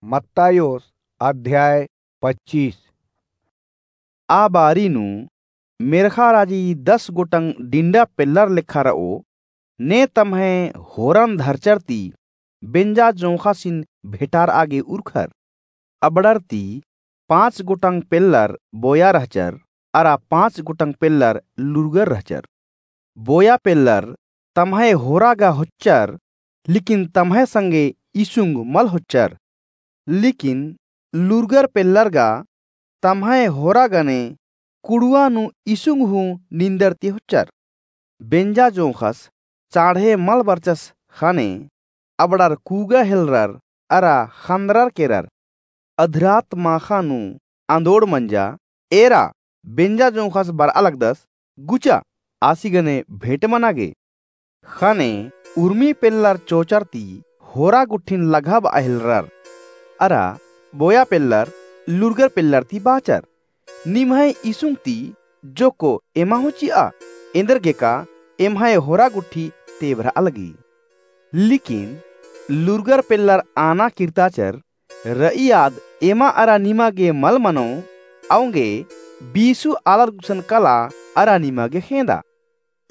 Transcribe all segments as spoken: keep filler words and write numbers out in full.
मत्तायोस अध्याय पच्चीस। आ बारी नू मेर्ख़ा राजी दस गोटंग डिंडा पेल्लर लेखा रओ, ने तम्है होरन धरचर ती बेंजा जोंख़ासिन भेंटारआ गे उरखर। अबड़र ती पाँच गोटंग पेल्लर बोया रहचर, अरा पाँच गोटंग पेल्लर लुरगर रहचर। बोया पेल्लर तम्है होरा गा होच्चर, लेकिन तम्है संगे इसुंग मल होच्चर। लेकिन लुरगर पेल्लर गा तम्है होरा गने कुड़ुआ नू इसुंग हूँ निंदर ती होच्चर। बेंजा जोंख़स चाँड़हे मल बरचस ख़ने अबड़र कूगा हेलरर अरा ख़न्दरर केरर। अधरात माख़ा नू आंदोड़ मंजा, एरा बेंजा जोंख़स बरआ लगदस, गुचा आसी गने भेंट मना गे। ख़ने उर्मी पेल्लर चोचर ती होरा गुट्ठिन लग्गाबआ हेलरर। अरा बोया पेल्लर लुरगर पेल्लर ती बाचर, निम्है इसुंग ती जोक्को एमा हूँ चिआ, एन्देरगेका एम्है होरा गुट्ठी तेभरआ लगी। लेकिन लुरगर पेल्लर आना किर्ताचर, रई आद एमा अरा निमा गे मल मनो, औंगे बीसु आलर गुसन कला अरा निमा गे ख़ेंदा।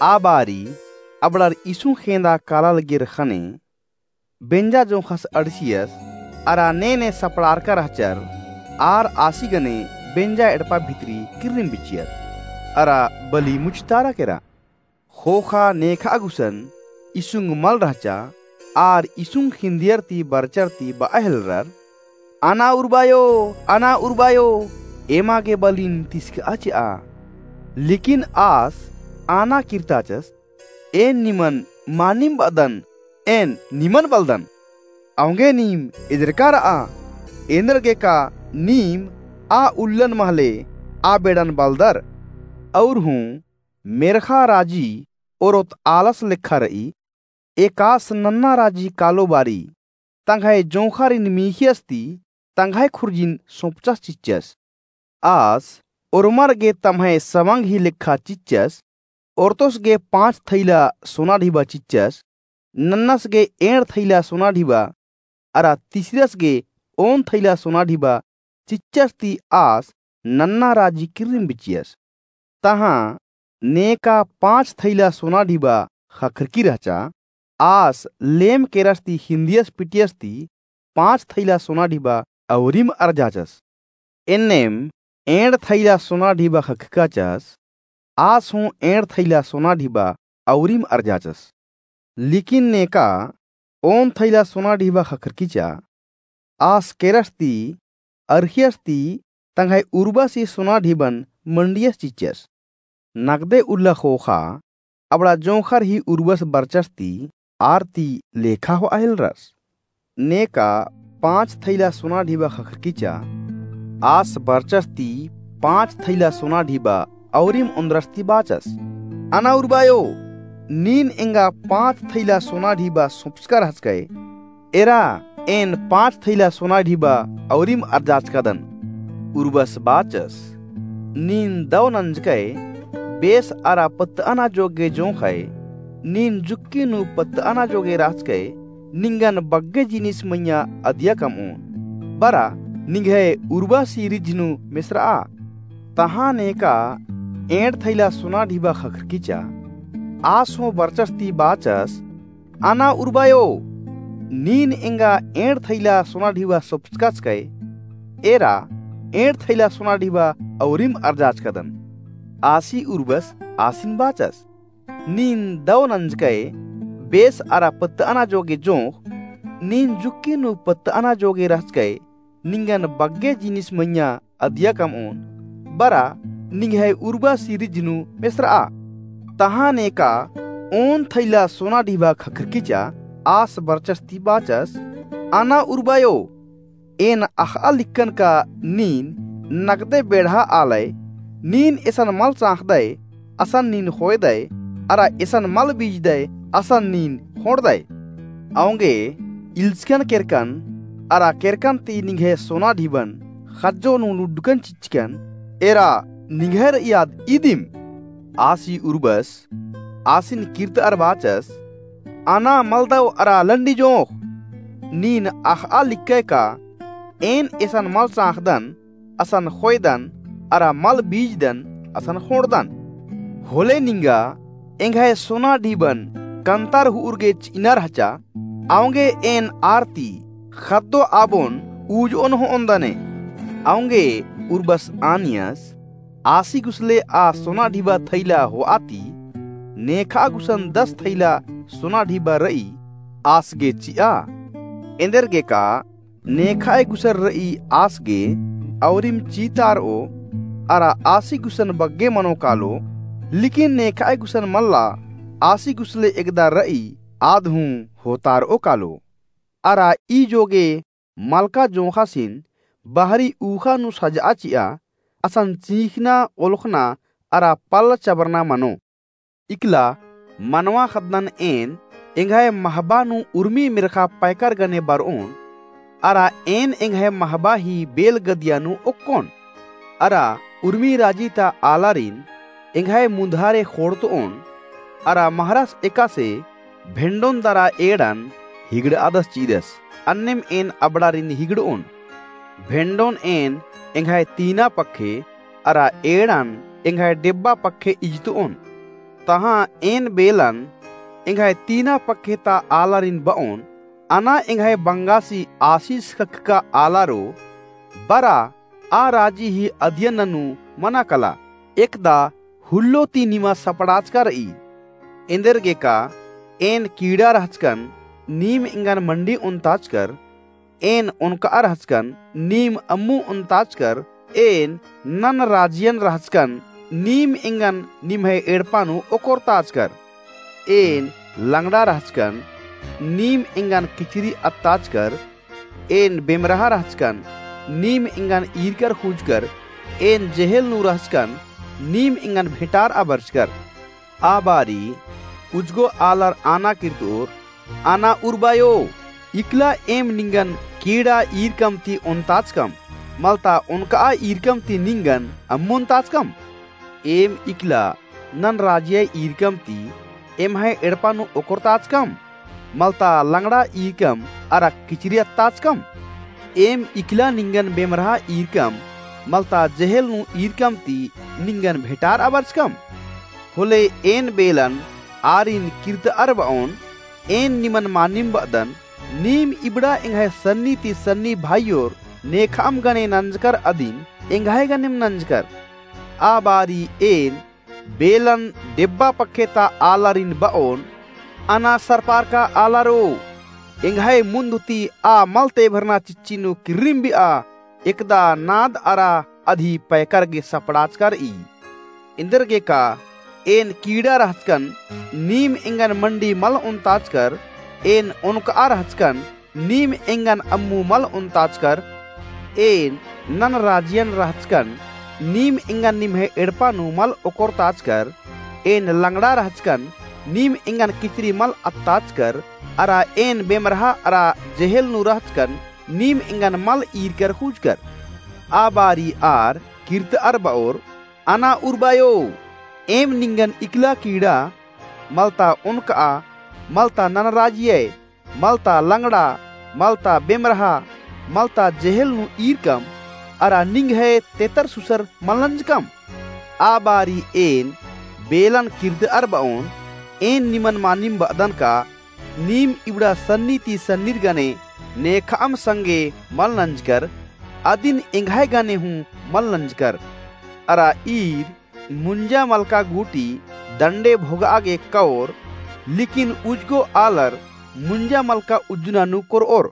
आ बारी अबड़र इसुंग ख़ेंदा काला लगियर ख़ने बेंजा जोंख़स अंड़सियस, अरा ने ने सपड़ारका रहचर, आर आसी गने बेंजा एड़पा भितरी किर्रिम बिच्चियर, अरा बली मुझतारा केरा। ख़ोख़ा नेखा गुसन इसुंग मल रहचा, आर इसुंग ख़िंदियर ती बरचर ती बआ हेलरर, अना उर्बायो, अना उर्बायो, एमा गे बलिन तिसकआ चिआ। लेकिन आस आना किर्ताचस, एन निमन मानिम बअदन, एन निमन बलदन। औंगे नीम एजरका रआ, एन्देरगेका नीम आ उल्लन महले आ बेड़न बलदर। और हूँ मेर्ख़ा राजी ओरोत आलस लेखा रई, एकास नन्ना राजी कालो बारी तंग्है जोंख़ारिन मीख़ियस ती तंग्है खुर्जिन सोंपचस चिच्चस। आस ओर्मर गे तम्है सवंग ही लेखा चिच्चस, ओर्तोस गे पाँच थैला सोना ढिबा चिच्चस, नन्नस गे एंड़ थैला सोना ढिबा, अरा तिसरस गे ओन थैला सोना ढिबा चिच्चस ती आस नन्ना राजी किर्रिम बिच्चियस। तहाँ नेका पाँच थैला सोना ढिबा ख़क्खरकी रहचा, आस लेम केरस ती हिन्दियस पिटियस ती पाँच थैला सोना ढिबा औरिम अर्जाचस। एन्नेम एंड़ थैला सोना ढिबा ख़क्खकाचस, आस हूँ एंड़ थैला सोना ढिबा औरिम अर्जाचस। लेकिन नेका ओन थैला सोना ढिबा ख़क्खरकीचा, आस केरस ती अरखियस ती तंग्है उर्बस ही सोना ढिबन मंडियस चिच्चस। नगदे उल्ला ख़ोख़ा अबड़ा जोंख़र ही उर्बस बरचस ती आर ती लेखा होआ हेलरस। नेका पाँच थैला सोना ढिबा ख़क्खरकीचा, आस बरचस ती पाँच थैला सोना ढिबा औरिम ओन्द्रस ती बाचस, अना उर्बायो, नीन एंगा पाँच थैला सोना ढिबा सोंपचका रहचकय, एरा एन पाँच थैला सोना ढिबा औरिम अर्जाचकादन। उर्बस बाचस, नीन दौ नंजकय, बेस अरा पत्तअना जोगे जोंख़य, नीन जुक्की नू पत्तअना जोगे रहचकय, निंगन बग्गे जिनिस मइय्याँ अदिया कमओन। बरा निंग्है उर्बस ही रिझ नू मेसरआ। तहाँ नेका एंड़ थैला सोना ढिबा ख़क्खरकीचा, आस हूँ बरचस ती बाचस, अना उर्बायो, नीन एंगा एंड़ थैला सोना ढिबा सोंपचकाचकय, एरा एंड़ थैला सोना ढिबा औरिम अर्जाचकादन। आसी उर्बस आसिन बाचस, नीन दौ नंजकय, बेस अरा पत्तअना जोगे जोंख़, नीन जुक्की नू पत्तअना जोगे रहचकय, निंगन बग्गे जिनिस मइय्याँ अदिया कमओन, बरा निंग्है उर्बस ही रिझ नू मेसरआ। तहाँ नेका ओन थैला सोना ढिबा ख़क्खरकीचा, आस बरचस ती बाचस, अना उर्बायो, एन अख़आ लिक्कन का नीन नगदे बेढ़ा आलय, नीन एसन मल चाँख़दय, असन नीन ख़ोयदय, अरा एसन मल बीजदय, असन नीन ख़ोंड़दय। औंगे इल्चकन केरकन, अरा केरकन ती निंग्है सोना ढिबन ख़ज्जो नू लुड्डकन चिच्चकन, एरा निंग्है रई आद इदिम। आसी उर्बस आसिन किर्तअर बाचस, अना मलदौ अरा लंडी जोंख़, नीन अख़आ लिक्कय का एन एसन मल चाँख़दन, असन ख़ोयदन, अरा मल बीजदन, असन ख़ोंड़दन। होले निंगा एंग्है सोना ढिबन कन्तर हुउर गे चिअना रहचा, औंगे एन आर ती ख़द्दो आबोन ऊजओन होओन दने। औंगे उर्बस आनियस, आसी गुसले आ सोना ढिबा थैला होआ ती, नेखा गुसन दस थैला सोना ढिबा रई आस गे चिआ। एन्देरगेका नेखाय गुसन रई आस गे औरिम चीतारओ, अरा आसी गुसन बग्गे मनो कालो, लेकिन नेखाय गुसन मल्ला, आसी गुसले एकदा रई आद हूँ होतारओ कालो। अरा ई जोगे मलका जोंख़ासिन बहरी ऊख़ा नू सजआ चिआ, असन चींख़ना, ओलख़ना अरा पल्ल चबरना मनो। इकला मनवा ख़द्दन एन एंग्है महबा नू उर्मी मेर्ख़ा पैकर गने बरओन, अरा एन एंग्है महबा ही बेल गदिया नू ओक्कोन। अरा उर्मी राजी ता आलारिन एंग्है मुन्धारे ख़ोंड़तओन, अरा महरस एकासे भेंडोन दरा एड़न हिगड़ादस चिदस, अन्नेम एन अबड़ारिन हिगड़ओन। भेंडोन एन एंग्है तीना पक्खे, अरा एड़न एंग्है डेब्बा पक्खे इजतओन। तहाँ एन बेलन एंग्है तीना पक्खे ता आलारिन बओन, अना एंग्है बंगासी आसिस ख़क्खका आलारो, बरा आ राजी ही अदियन ननू मना कला, एकदा हुल्लो ती निमा सपड़ाचका रई। एन्देरगेका एन कीड़ा रहचकन, नीम एंगन मंडी ओन्ताचकर, एन ओनकआ रहचकन, नीम अम्मु ओन्ताचकर, एन नन राजियन रहचकन, नीम एंगन निम्है एड़पा नू ओकोरताचकर। एन लंगड़ा रहचकन, नीम एंगन किचरी अत्ताचकर, एन बेमरहा रहचकन, नीम एंगन ईरकर खुजकर, एन जेहेल नू रहचकन, नीम एंगन भेंटारआ बरचकर। आ बारी उजगो आलर आना किर्तोर, आना उर्बायो, इकला एम निंगन कीड़ा ईरकम ती ओन्ताचकम, मलता ओनकआ ईरकम ती निंगन अम्मु ओन्ताचकम? एम इकला नन राजिया ईरकम ती एम्है एड़पा नू ओकोरताचकम, मलता लंगड़ा ईरकम अरा किचरी अत्ताचकम? एम इकला निंगन बेमरहा ईरकम, मलता जेहेल नू ईरकम ती निंगन भेंटारआ बरचकम? होले एन बेलन आरिन किर्तअर बओन, एन निमन मानिम बअदन, नीम इबड़ा एंग्है सन्नी ती सन्नी भाईयोर नेखअम गने नंजकर अदिन एंग्है गनेम नंजकर। आ बारी एन बेलन डेब्बा पक्खे ता आलारिन बओन, अना सरपारका आलारो, एंग्है मुन्द ती आ मल तेभरना चिच्ची नू किर्रिम बिआ, एकदा नाद अरा अदी पैकर गे सपड़ाचका रई। एन्देरगेका एन कीड़ा रहचकन, नीम एंगन मंडी मल ओन्ताचकर, एन ओनकआ रहचकन, नीम एंगन अम्मु मल ओन्ताचकर, एन नन राजियन रहचकन, नीम एंगन निम्है एड़पा नू मल ओकोरताचकर, एन लंगड़ा रहचकन, नीम एंगन किचरी मल अत्ताचकर, अरा एन बेमरहा अरा जेहेल नू रहचकन, नीम एंगन मल ईरकर खुजकर। आ बारी आर किर्तअर बओर, अना उर्बायो, एम निंगन इकला कीड़ा, मलता ओनकआ, मलता नन राजिया, मलता लंगड़ा, मलता बेमरहा, मलता जेहेल नू ईरकम, अरा निंग्है तेतर सुसर मल नंजकम? आ बारी एन बेलन किर्तअर बओन, एन निमन मानिम बअदन का, नीम इबड़ा सन्नी ती सन्नीर गने नेखअम संगे मल नंजकर, अदिन एंग्है गने हूँ मल नंजकर। अरा ईर मुंजा मलका गूटी दंडे भोगआ गे कओर, लेकिन उजगो आलर मुंजा मलका उज्जना नू कोरओर।